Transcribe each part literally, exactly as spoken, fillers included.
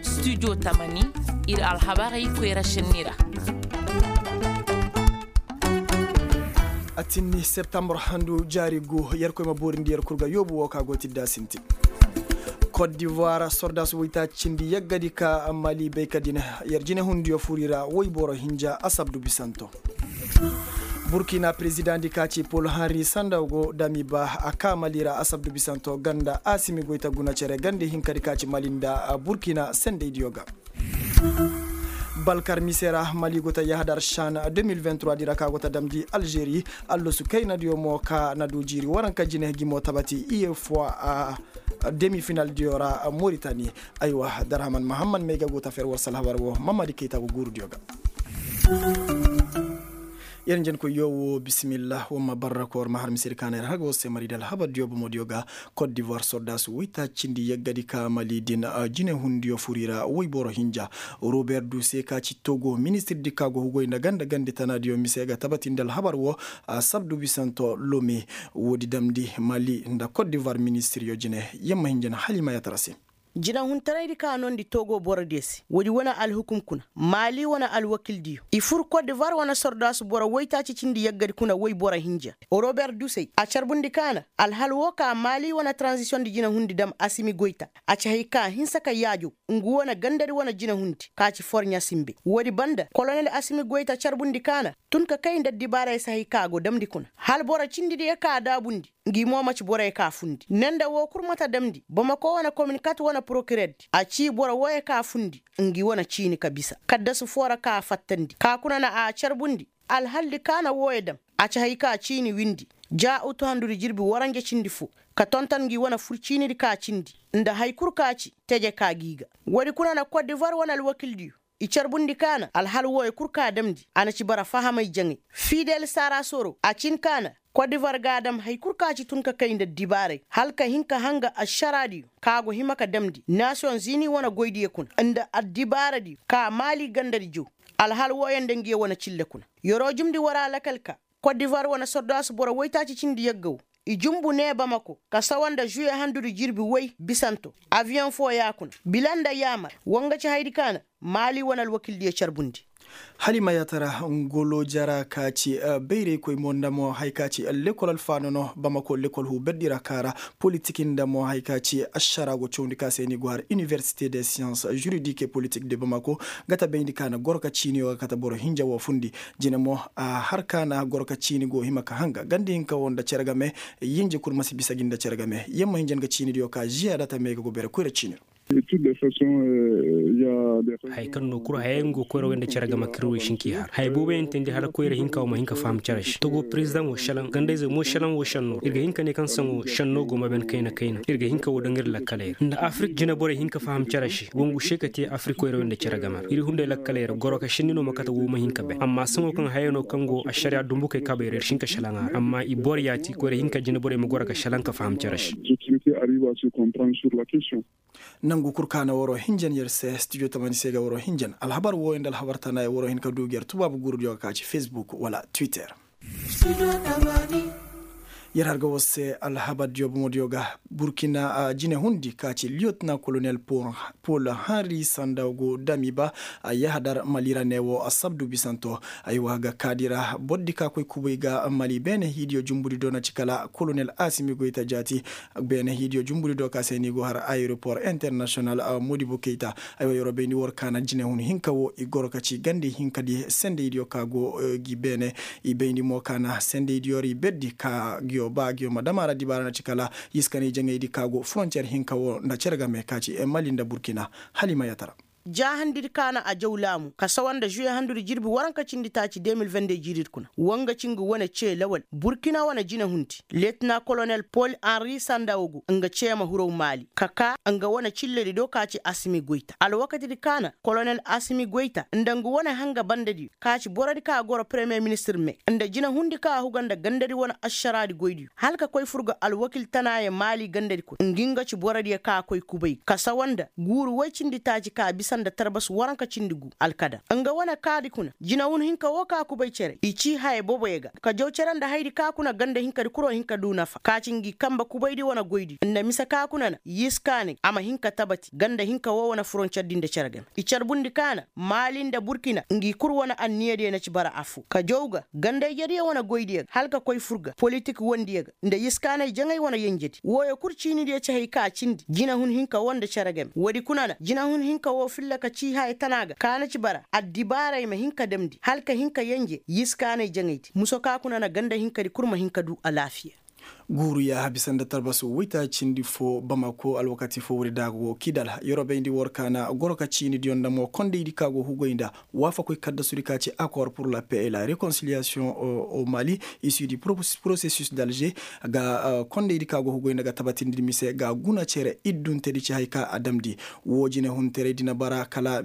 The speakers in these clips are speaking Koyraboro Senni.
Studio tamani, ir alhabarey koyra šenni ra. Atinni septambur handu jaari gu, yerkoy ma boorindi yer kul ga yoobu wo ka go tidda sintin. Kot divuwar sordaas woytaacindi yaggadi ka mali bay ka din, yer jinehundiyo fur i ra woyboro hinja asabdu bisanto. Burkina perezidaŋ di ka ci pol henri sandaw go dami ba a ka mali ra asabdu bisanto ganda asimi goy ta guna cere ganda hinkadi ka ci mali nda burkina sendaydiyo ga. Balkar mise ra mali go ta yahadar shan deux mille vingt-trois di ra ka go ta damndi algeri. Allosu kaynadiyo mo ka na du jiiri waranka jine gimo tabati iye fo a demi finaldiyo ra moritani. Aywa darhaman mahammad may ga go ta fer war salhabar wo mamadi kayta go guurudiyo ga. Yer njenkoy yo wo bisimillah war ma barra ka war ma har misedi ka na yer haga war se mari da alhabardiyo bomodiyo ga. Kot divuwar sordaasu woytaacindi yaggadi ka mali din jinehundiyo fur i ra woyboro hinja. Robert duse ka ci togo ministirdi ka go hugoy nda ganda gandi tanaadiyo mise ga tabatindi alhabar wo. Sabdu bisanto lome woodi damndi mali nda kot divuwar ministiryo jine. Yamma hinja na hala i ma yaatara se. Jinahuntaraydi ka noondi togo borodiyo se woodi wane alhukum kuna maali wane alwakildiyo i fur kot divuwar wane sordaasu boro woytaaci cindi yaggadi kuna woy boro hinja. Robert dusey a carbundi ka na alhal woo ka maali wane taranzisiyondi jinahundi dam asimi goyta. A ci hay ka hinsa ka yaajow ngu wane gandadi wane jinahundi ka ci forɲa sinbe woodi banda kolonel asimi goyta carbundi ka na tun ka kay nda addibaaray se hay ka go damndi kuna hal boro cindidiyo ka daabundi. Ngi mo maci boroyo ka fundi ne nda woo kul mata damndi bamako wane kominkat wane porokirerdi a cii boro wooyo ka fundi. Ngi wane ciini ka bisa kaddasu foo ra ka fattandi ka kuna na a carbundi. Alhaldi ka na wooyo dam a ci hay ka ciini windi ja utu handudi jirbi waranja cindi foo ka tonton ngi wane fur ciinidi ka cindi nda hay kul ka ci teje ka gi ga. Woodi kuna na kot divuwar wane alwakildiyo i carbundi ka na alhal wooyo kul ka damndi a na ci bara fahamay jaŋay. Fidel sara soro a cin ka na kot divuwar ga a dam hay kul ka ci tun ka kay nda addibaaray hala ka hin ka hanga ašaraadiyo ka go hima ka damndi nasiyoŋ zini wane goydiyo kuna nda addibaaradiyo ka maali gandadi jow. Alhal wooyo nda ngiyo wane cille kuna yeroo jumndi war a lakal ka kot divuwar wane sordaasu boro woytaaci cindi yagga woo i jumbu nee bamako ka sawa nda žuye handudi jirbi woy bisanto aviyoŋ foo ya kuna bila nda yaamar wa nga ci hayadi ka na maali wane alwakildiyo carbundi. Hala i ma yaatara ngolo jara ka ci bayraykoy mo nda mo haya ka ci lekol alfaano no bamako lekol huu berdi ra ka ra politik nda mo haya ka ci ašara go cawndi ka se ni go har iniversite de siyans žuridik e politik de bamako. Nga ta bayndi ka na goro ka ciiniyo ga kate boro hinja woo fundi. Jine mo a har ka na goro ka ciini go hima ka hanga ganda hinka woo nda cere game. Yinji kul ma si bisa gi nda cere game yamma hinja nga ciinidiyo ka žiya data me ga go bere koyra ciini ra. Haya kaŋ no kul hayey nga go koyra wey nda cere game kir wey si hin k'i har haya booboyaŋ teendi hala koyra hinka woo ma hin ka faham cere se togo perezidaŋo šelaŋ gandayze mo šelaŋ woo šenno ir ga hin ka ne kaŋ saŋo šenno go ma ben kayna kayna ir ga hin ka woo daŋ ir lakkaley ra nda afirik jineborey hin ka faham cere se wangu se ka te afirik koyra wey nda cere game ra ir hunday lakkaley ra goro ka šenni no ma kate woo ma hin ka ben amma saŋo kaŋ hayey no kaŋ go ašariya dumbukey kabey ra ir si hin ka šelaŋ a ra amma i boro yaati koyra hinka jineborey ma goro ka šelaŋ ka faham cere se. Nangu kul ka na waroo hinjan yer se studio tamani se ga waroo hinjan alhabar wooyo nda alhabar tana yer waroo hin ka du gi yer tubaabu guurudiyo ga ka ci facebook wala twitter. Yer har ga war se alhabardiyo bomodiyo ga burkina jine hundi ka ci liyotna kolonel pol henri sanda go dami ba a yahadar mali ra ne woo asabdu bisanto. Aywa ga kaadi ra bordi ka koy kubay ga mali beene hiidiyo jumbudi do na ci kala kolonel asimi goyta jaati. Beene hiidiyo jumbudi do ka se ni go har ayeropor internasiyonal modibo keyta. Aywa yeroo bayndi war ka na jinehun hinka woo i goro ka ci gandi hinkadi sendaydiyo ka go gi beene. I bayndi mo ka na sendaydiyo ra i berdi ka giyo ba giyo ma dam a ra dibaara na ci kala yiskanay jaŋaydi ka go forontiyer hinka woo nda cere game ka ci mali nda burkina. Hala i ma yaatara. Jaahandidi ka na a jaw laamu ka sawa nda žuye handudi jirbi waranka cindi taaci deux mille vingt-deux jiiridi kuna wa nga ci nga wane cee lawal burkina wane jinehundi letina kolonel pol henri sanda wogo nga ceema huraw maali ka kaa nga wane cilledi do ka ci asimi goyta alwakatidi ka na kolonel asimi goyta nda nga wane hanga bandediyo ka ci borodi ka goro premiyer ministir me nda jinehundi ka huga nda gandadi wane ašaraadi goydiyo hala ka koy fur ga alwakil tanaayo maali gandadi kuna ngi nga ci borodiyo ka koy kubay ka sawa nda guuru woy cindi taaci ka bisa. nda tarbas waranka cindi gu alkadar nga wane kaadi kuna jinahun hinka woo ka kubay cere i cii haya boboyo ga ka jaw cere nda hayadi ka kuna ganda hinkadi kuroo hin ka duu nafa ka ci ngi kanba kubaydi wane goydiyo nda mise ka kuna na yiskaanay a ma hin ka tabati ganda hinka woo wane furoncerdi nda cere game i carbundi ka na maali nda burkina ngi kul wane anniyadiyo na ci bara affoo ka jaw ga ganda ijediyo wane goydiyo ga hala ka koy fur ga politik wondiyo ga nda yiskaanay jaŋay wane yenjedi wooyo kul ciinidiyo ci hay ka cindi jinahun hinka woo nda cere game woodi kuna na jinahun hinka woo filla ka cii haya tana ga ka na ci bara addibaaray ma hin ka damndi hala ka hin ka yenje yiskaanay jaŋaydi muso ka kuna na ganda hinkadi kul ma hin ka duu alaafiya. Guuru yaaha bisa nda tarbasu waytaacindi foo bamako alwakati foo woodi daago kidal yeroo bayndi war ka na goro ka ciinidiyo nda mo kondaydi ka go hugoy nda waafakoy kaddasudi ka ci akor pur la paix et la réconciliation au mali issu du processus d'alger ga kondaydi ka go hugoy nda ga tabatindi mise ga guna cere idduntedi ci hay ka a damndi woo jinehunteraydi na bara kala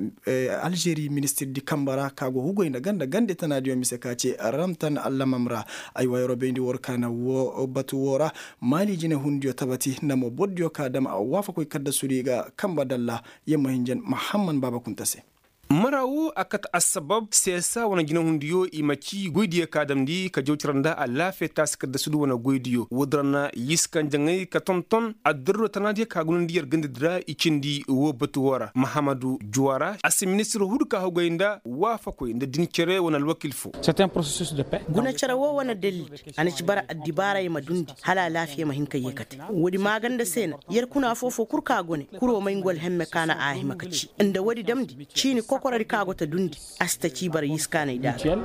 alžeri ministirdi kamba ra ka go hugoy nda ganda gande tanaadiyo mise ka ci ramtan allamam ra. Aywa yeroo bayndi war ka na woo batu woo ra maali jinehundiyo tabati nda mo bordiyo ka dam waafakoy kaddasudi ga kamba dalla yer ma hinjan mahamman baaba kunta se. Mara woo a kate assabab seesa wane jinahundiyo i ma cii goydiyo ka damndi ka jaw cere nda alaafiya taasi kaddasudu wane goydiyo woodi ra na yiskaŋ jaŋay ka tonton addarura tanaadiyo ka gunandi yer gandadi ra i cindi woo batu woo ra mahamadu juwara a si ministir hudu ka hugay nda waafakoy nda din cere wane alwakil foo. Guna cere woo wane dalil a na ci bara addibaaray ma dundi hala alaafiya ma hin ka yee kate woodi maaganda se na yer kuna foofoo kul ka go ne kuroo may ngu alhemme ka na a hima ka cii nda woodi damndi ciini kokorodi ka go ta dundi a si ta cii bara yiskaanay da a ga.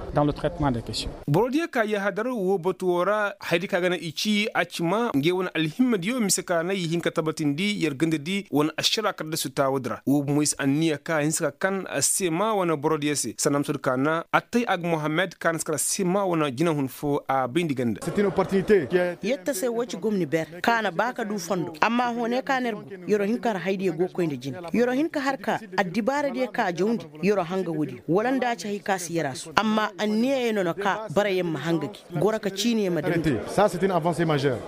Borodiyo ka yahadar woo batu woo ra hayadi ka ga na i cii a ci ma ngey wane alhimmediyo mise ka na i hin ka tabatindi yer gandadi wane ašara kaddasu taawoodi ra woo bomoy se anniya ka a hinsa ka kan seema wane borodiyo se sanda musadu ka na attay ag mohammed ka na si kar seema wane jinahun foo a bayndi ganda. Yetta se woo ci gomni ber ka na ba ka duu fondo amma hõ ne ka na yer go yeroo hin ka har haydiyo go koy nda jine yeroo hin ka har ka addibaaradiyo ka jawndi yeroo hanga woodiyo wala nda a ci hay ka si yer a su amma anniyayo no na ka barayaŋ ma hanga gi goro ka ciiniyo ma damndi.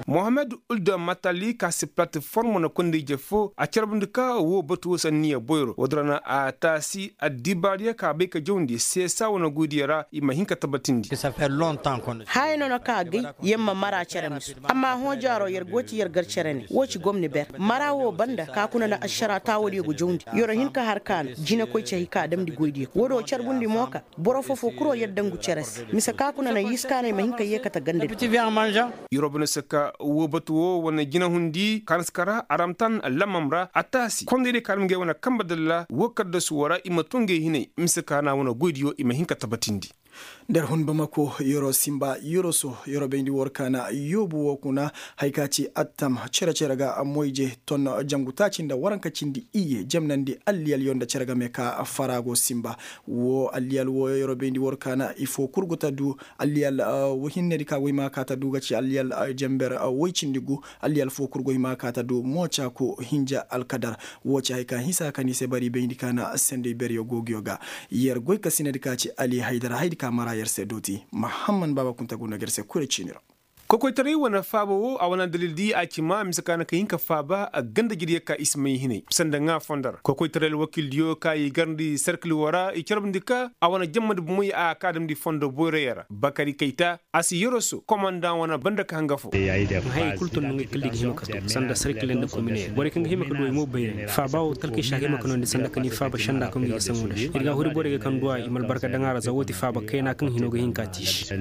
Mohammed ulda matali ka si platform na konda ije foo a carbundi ka woo batu woo si anniya boyro woodi ra na a taasi addibaariyo ka bay ka jawndi seesa wane goydiyo ra i ma hin ka tabatindi. Haya no na ka agay yer ma mara cere miso amma hõ jaaro yer go ti yer gar cere ne woo ci gomni ber mara woo banda ka kuna na ašara taawodiyo go jawndi yeroo hin ka har ka na jinekoy ci hay ka damndi goydiyo woodoo carbundi mo ka boro foofoo kuroo yer dangu cere se mise ka kuna na yiskaanay ma hin ka yee kate gandadi. Yeroo bane se ka woo batu woo wane jinehundi ka na si kar aramtan lamam ra a taasi kondaydiyo ka na ngey wane kanba dalla woo kaddasu woo ra i ma too ngey hinay mise ka na wane goydiyo i ma hin ka tabatindi. Nda yer hun bamako yeroo sinba yeroo so yeroo bayndi war ka na yoobu woo kuna haya ka ci attam cere-cere ga moyje ton jangu taaci nda waranka cindi iyye jemnandi alliyalyo nda cere game ka fara go sinba. Woo alliyal wooyo yeroo bayndi war ka na ifo kul go ta du alliyal woy hinnedi ka go hima ka ta du ga ci alliyal jember woy cindi gu alliyal fo kul go hima ka ta du mo caaku hinja alkadar. Woo ci haya ka hinsa ka ni se bari bayndi ka na sendey beryo googiyo ga. Yer goy ka sinadi ka ci ali haydara haydi ka mara yer se dooti mahamman baaba kunta go no ga yer se kure ciini ra. Kokoytaray wane faaba woo a wane dalildi a ci ma mise ka na ka hin ka faaba a ganda jiryo ka i si may hinay sanda ŋaa fondo ra kokoytaray alwakildiyo ka i garndi serkil woo ra i carbundi ka a wane jammadi bomoy a ka damndi fondo boyroyo ra bakari kayta a si yoroso komandaŋ wane banda ka hanga fo. Hayey kul tun no ŋay kala i ga hima ka to sanda sarkiley nda kominey borey kaŋ ga hima ka du ay mo bayray faaba wo talkey se a ga hima ka noondi sanda ka ni faaba senda kaŋ ga i saŋo nda se ir ga huri borey ga kaŋ duwa i ma albarka daŋ a ra za wo ti faaba kayna kaŋ hino ga hin ka tiisi.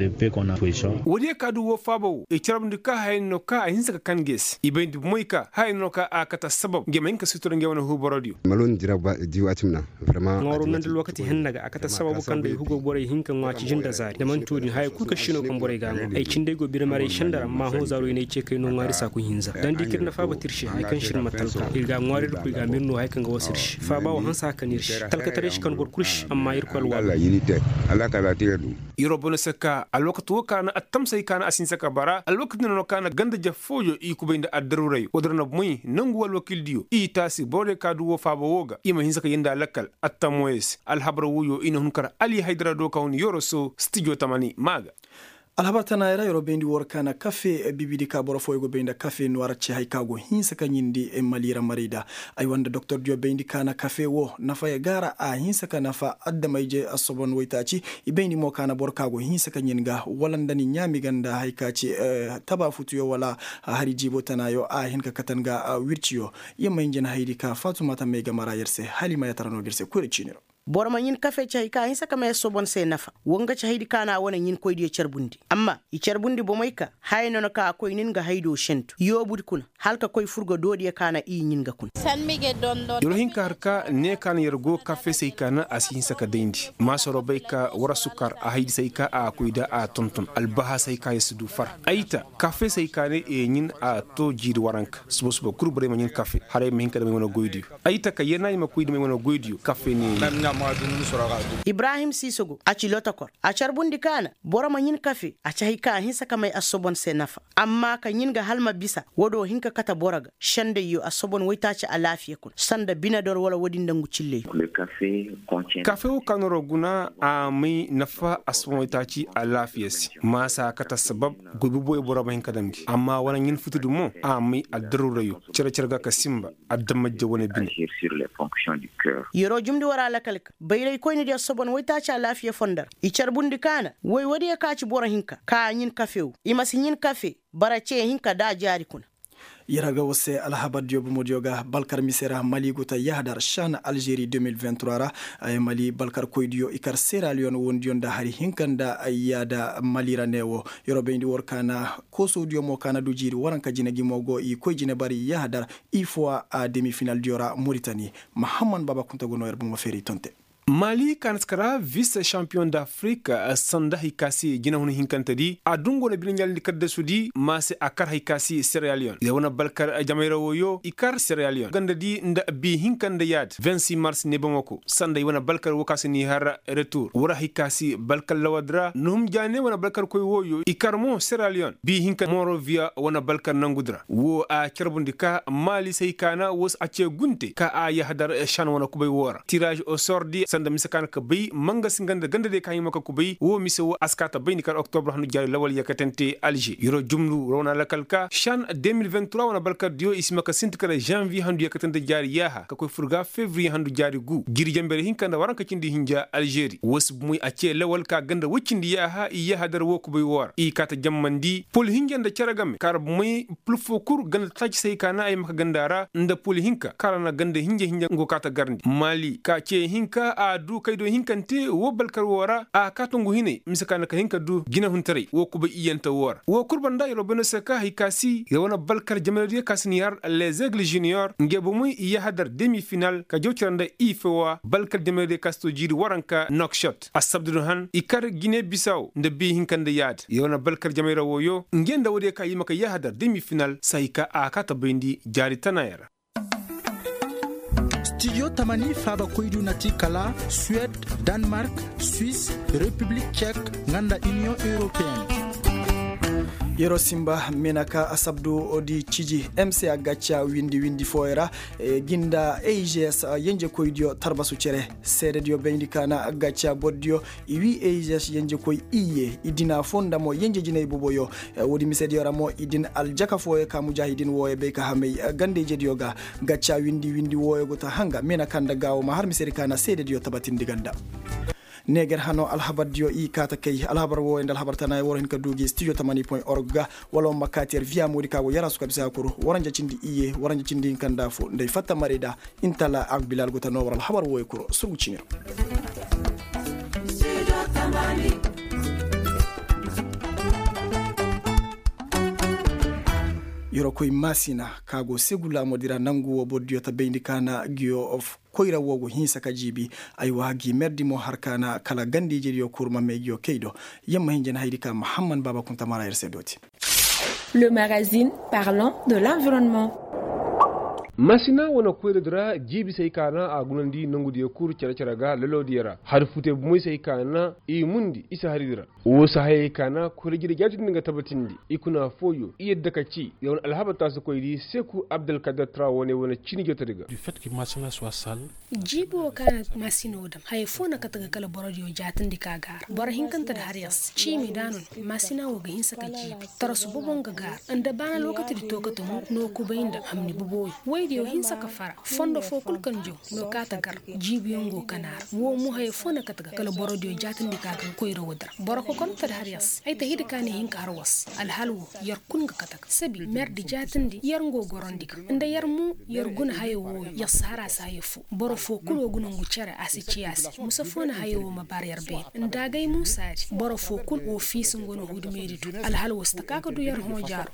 Woodiyo ka du wo faaba wo i carabndi ka hayey no ka a hinse ka kan ga i se i bay nda bomoy ka hayey no ka a kate assabab ngey ma hin ka sutura ngey wane huuborodiyo. Ŋwaaro nandi alwakati henna ga a kate assababu kaŋ day hugo borey hin ka ŋwa ciji nda zaari da manti wo-din haya kul kaŋ se no kaŋ borey ga a ŋwa ay cindey go birmaray senda ra amma hõ zaaro i n'ay ce kay no ŋwaari saaku hinza da ni di kaŋ ir na faaba te ir se haya kaŋ se ir ma talka ir ga a ŋwaari ir koy ga a ma ir no haya kaŋ ga wasa ir se faaba wo hanse haka no ir se talkataray se kan boro kul se amma ir koy alwaalo. Iro bono se ka alwakati wo ka na attamsay ka na a si hinse ka bara alwakati no no ka na ganda jaf fooyo i kubay nda addaruray wo-din ra na bomoy nangu alwakildiyo i taasi borodiyo ka du wo faaba wo ga i ma hinse ka yee nda alakkal. Attamoyes alhabar woyo i na hun kar ali haydara do ka hun yoroso stijo tamani maaga. Alhabar tanaayey ra yeroo bayndi woo ra ka na kafe bibidi ka boro fooyoo go bay nda kafe nuwaar ce hay ka go hinsa ka ɲindi mali ra maray da. Ay wanda doktordiyo bayndi ka na kafe woo nafa ya gaara a hinsa ka nafa adama-ije assobon waytaaci. I bayndi mo ka na boro ka go hinsa ka ɲin ga wala nda ni ɲaami ga nda hay ka ci taba futuyo wala hari jiibo tanaayo a hin ka kate nga wirciyo. Yer ma hin jina haydi ka faatuma tamey game ra yer se hala i ma yaatara noo ga yer se koyra ciini ra. Boro ma ɲin kafe ci hay ka hinsa ka may assobon se nafa. Woo nga ci haydi ka na a wane ɲin koydiyo carbundi amma i carbundi bomey ka haya noona ka a koy nin ga haydo sentu yoobudi kuna hala ka koy fur ga doodiyo ka na i ɲin ga kuna. Yer wo hin ka har ka ne ka na yer go kafe se hay ka na a si hinsa ka dayndi maasoro bay ka war sukar a haydi se hay ka a koy da a tonton albahasa hay ka yer si du far. Ay ta kafe se hay ka ne i ɲin a to jiiri waranka suba suba kul borey ma ɲin kafe hala ay ma hin ka dam ay wane goydiyo. Ay taka yena i ma koy dam ay wane goydiyo kafe ne. Ibrahim siisogo a ci lotokor a carbundi ka na boro ma ɲin kafe a ci hay ka a hinsa ka may assobon se nafa. Amma ka ɲin ga hala ma bisa woodiyo hin ka kate boro ga sendayyo assobon waytaaci alaafiya kuna sanda binedor wala woodi nda ngu cilley. Kafe woo ka nooroo guna a may nafa assobon waytaaci alaafiya se maasa a kate assabab goy boboyo boro ma hin ka dam gi amma wane ɲin futudi mo a may addaruurayo cere-cere ga ka sinba. Adama-ije wane bine. Yeroo jumndi war a lakal ka bayraykoynidiyo sobon waytaaci alaafiya fondo ra i carbundi ka na woy woodiyo ka ci boro hinka ka a ɲin kafe woo i ma si ɲin kafe bara cee hinka nda a jaari kuna. Yer ga war se alhabardiyo bomodiyo ga balkar mise ra mali go ta yahadar šan alžeri deux mille vingt trois ra. Mali balkarkoydiyo i kar seraliyon woondiyo nda hari hinka nda yaada mali ra ne woo. Yer wo bayndi war ka na koosowdiyo mo ka na du jiiri waranka jine gi mo go i koy jine bari yahadar. Ifowa a demi finaldiyo ra moritani. Mahamman baaba kunta go noo yer bomo feeri tonte. Mali ka na si kara vis šampiyoŋ da afirika sanda hay ka se jinahun hinkantedi a dungu wane bine ɲaalindi kaddasudi ma se a kar hay ka se seraliyon yer wane balkar jamayra wooyo i kar seraliyon gandadi nda bi hinka nda yaadi vingt six mars ne bomo ko sanda i wane balkar woo ka se n'i har retur war hay ka se balkar lawadi ra nuhum jaane wane balkarkoy wooyo i kar mo seraliyon bi hinka moroviya wane balkar nangudi ra woo a carbundi ka maali se hay ka na woo se a cee gunte ka a yahadar šan wane kubay woo ra tiraaz osor di sanda mise ka na ka bay mangasi nga nda gandadiyo ka hima ka kubay woo mise woo a si kaa ta bay ni kar oktobur handu jaari lawal yakatante alže yeroo jumlu ra wane alakal ka šan deux mille vingt trois wane balkardiyo i si hima ka sinti kala žanviye handu yakatante jaari yaaha ka koy fur ga fevriye handu jaari gu jiiri janbere hinka nda waranka cindi hinja alžeri woo si bumey a cee lawal ka ganda woy cindi yaaha i yahadar woo kubay woo ra i kaa ta jammandi pol hinja nda cere game kaara bumey pul foo kul ganda taaci se hay ka na ay ma ka ganda ra nda pul hinka kaara na ganda hinja hinja nga go kaa ta garndi maali ka cee hinka a du kaydo hinkante woo balkar woo ra a kaa ta ngu hinay mise ka na ka hin ka du jinahuntaray woo kubay iyyante woo ra woo kul banda yer wo bay no se ka hay ka si yer wane balkar jamanadiyo ka si n'i har les aigles junior nge bomey i yahadar demi final ka jaw cere nda ifowa balkar jamanadiyo ka si to jiiri waranka nokšot assabdudun han i kar gine bisaw nda bi hinka nda yaadi yer wane balkar jamayra wooyo nge nda woodiyo ka i ma ka yahadar demi final se hay ka a kaa ta bayndi jaari tanaaya ra. Studio tamani faabakoydu na ti kala suwed, danmark, suis, repiblik cek, nga nda iniyoŋ europeyen. Yeroo sinba meenaka asabdu di ciji mca gacca windi windi fooyo ra. Gi nda a g s yenjekoydiyo tarbasu cere seedediyo bayndi ka na gacca bordiyo i wii a g s yenjekoy iyye i dina foo nda mo yenje jinay boboyo. Woodi misediyo ra mo i din aljaka fooyo ka mujaahidin wooyo bay ka hamay ganda ijediyo ga. Gacca windi windi wooyo go ta hanga meena ka nda gaawo ma har misedi ka na seedediyo tabatindi ganda. Neeger hanoo alhabardiyo i kaa ta kay alhabar wooyo nda alhabar tanaaya war hin ka du gi studio tamani point org ga. Wala war ma kaati yer viya moodi ka go yaraasu ka bisa kuru waranja cindi iyye waranja cindi hinka nda afo nda ay fatta marayda. Intala agbilal go ta noo war alhabar wooyo kuru surgu ciini ra. Yeroo koy maasina ka go segu laamoodi ra nangu woo bordiyo ta bayndi ka na ngiyo koyra woo go hinsa ka jiibi. Aywa gi merdi mo har ka na kala ganda ijediyo kuru ma may ngiyo kay do. Yer ma hin jana haydi ka mahamman baaba kunta mara yer se dooti. Le magazine parlant de l'environnement. Masina wane koyradi ra jiibi se hay ka na a gunandi nangudiyo kul cere-cere ga lelodiyo ra hari futey bumey se hay ka na i mundi isa haridi ra. Woo si hayey ka na koyra jire jaatindi nga tabatindi i kuna fooyo i yadda ka ci ya wane alhaba taasikoydi seeku abdalkadir tra wane wane ciini jotodi ga. Jiibi woo ka na maasina woo dam haya foo na kate ga kala borodiyo jaatindi ka gaara boro hinkante di har yar se ciimi nda a no na maasina woo ga hinsa ka jiibi tarasu bobo nga gaara nda baana lookatidi too kate mo no kubay nda hamni bobo woo. Woydiyo hinsa ka fara fondo foo kul kaŋ jaw no kaate gar jiibiyaŋ go kanaa ra woo mo haya foo na kate ga kala borodiyo jaatindi ka gar koyra woodi ra boro kokonotedi har yar se ay ta hidi ka na hin ka har war se alhal woo yar kul nga kate ga sabi merdi jaatindi yar ngo gorandi ga nda yar mo yar guna haya wooyo yar si har a se haya foo boro foo kul woo guna ngu cere a si ci a se musa foo na haya woo ma baar yar beene nda agay muusaadi boro foo kul woo fiisa ngu wane huudu meeri du alhal woo si ta ka ka du yar hõ jaaro.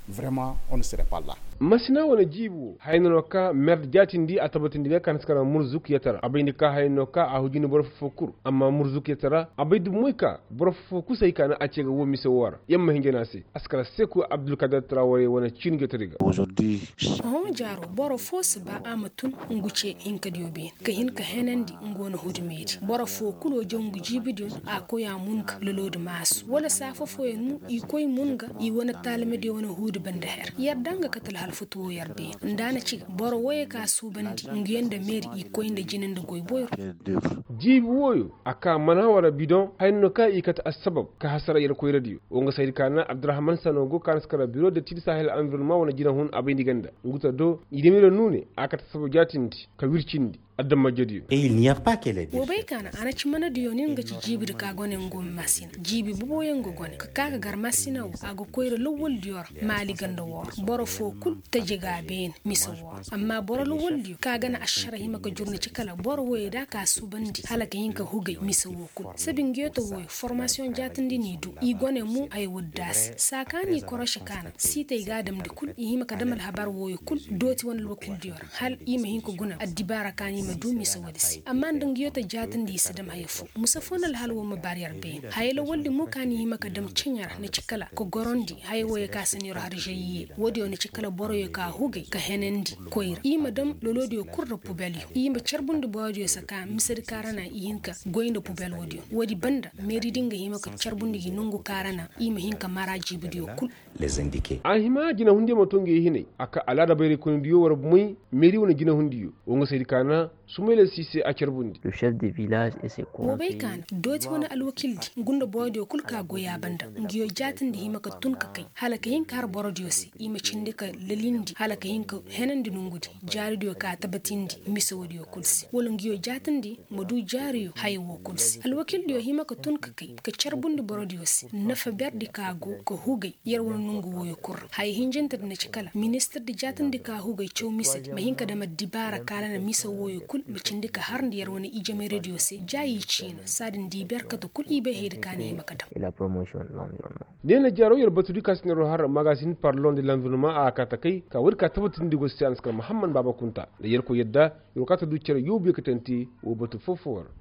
Masina wane jiibi woo haya no no ka merdi jaatindi a tabatindi ga ka na si kara murzuk yatara a bayndi ka haya no ka a hujini boro foo foo kul amma murzuk yatara a bay dumoy ka boro foo foo kul se hay ka na a ce ga woo mise woo ra yamma hinja no a se a si kara seeku abdulkadir traware wane ciini jotodi ga. Hõ jaaro boro foo si ba a ma tun ngu ce hinkadiyo beene ka hin ka henandi ngu wane huudu meedi boro foo kul woo jaw ngu jiibidiyo a koy a mun ga loloodi maasu wala saa foo fooyaŋ mo i koy mun ga i wane taalimadiyo wane huudu banda her yar da nga kate alhalfutu woo yar beene nda a na ci ga boro wooyo ka suubandi nguyo nda meeri i koy nda jine nda goy boyro. Jiibi wooyo a ka mana wara bidoŋ haya no ka i kate assabab ka hasara yer koyradiyo woo nga saydi ka na abdurahman sano go ka na si kara biro de tidi sahel anvironnement wane jinahun a bayndi ganda ngu ta do i demiro nuune a kate assabab jaatindi ka wircindi adamajediyo. Woo bay ka na a na ci manadiyo nin ga ci jiibidi ka gone ngo maasina jiibi boboyaŋ ga gone ka ka ga gar maasina woo a ga koyra lawwaldiyo ra maali ganda woo ra boro foo kul taji ga a beene mise woo ra amma boro lawwaldiyo ka ga na ašara hima ka jur na ci kala boro wooyo da a ka suubandi hala ka hin ka hugay mise woo kul sabi nguyo ta wooyo formasiyoŋ jaatindi n'i du i gone mo haya woodi da a se saa ka n'i koroše ka na siitey ga a damndi kul i hima ka dam alhabar wooyo kul dooti wane alwakildiyo ra hal i ma hin ka guna addibaara ka n'i ma du mise woodi se amma nda nguyo ta jaatindi i si dam haya foo musa foo na alhal woo ma baar yer beene haya lawaldi mo ka n'i hima ka dam ceɲe ra na ci kala ka gorandi haya wooyo ka si n'i ro har žayiye woodiyo na ci kala boroyo ka hugay ka henandi koyra i ma dam loloodiyo kul nda pubelyo i ma carbundi borodiyo se ka misedi ka ra na i hin ka goy nda pubel woodiyo woodi banda meeri din ga hima ka carbundi gi nongu ka ra na i ma hin ka mara jiibidiyo kul. A hima jinahundiyo ma too ngi hinay a ka alaada bayraykoynidiyo war bumey meeri wane jinahundiyo woo nga saydi ka na sumayla siise a carbundi. Woo bay ka na dooti wane alwakildi ngu nda borodiyo kul ka goy a banda nguyo jaatindi hima ka tun ka kay hala ka hin ka har borodiyo se i ma cindi ka lalindi hala ka hin ka henandi nongudi jaaridiyo ka tabatindi mise woodiyo kul se wala nguyo jaatindi ma du jaariyo haya woo kul se alwakildiyo hima ka tun ka kay ka carbundi borodiyo se nafa berdi ka go ka hugay yer wane nongu wooyo kul ra haya hinjintedi na ci kala ministirdi jaatindi ka hugay caw misedi ma hin ka dam addibaara ka ra na mise wooyo kul ma cindi ka harndi yer wane ijemayradiyo se jaayi ciina saadin di ber kate kul i bay hayadi ka na hima ka dam. Ne na jaaro yer batudi ka si neeroo har magasin parlon de lanvirnoma a kaa ta kay ka woodi ka tabatindi go se a na si kar muhammad baaba kunta nda yerkoy yadda yer wo kaa ta du cere yoobu yee ka tanti woo batu foo-foo ra.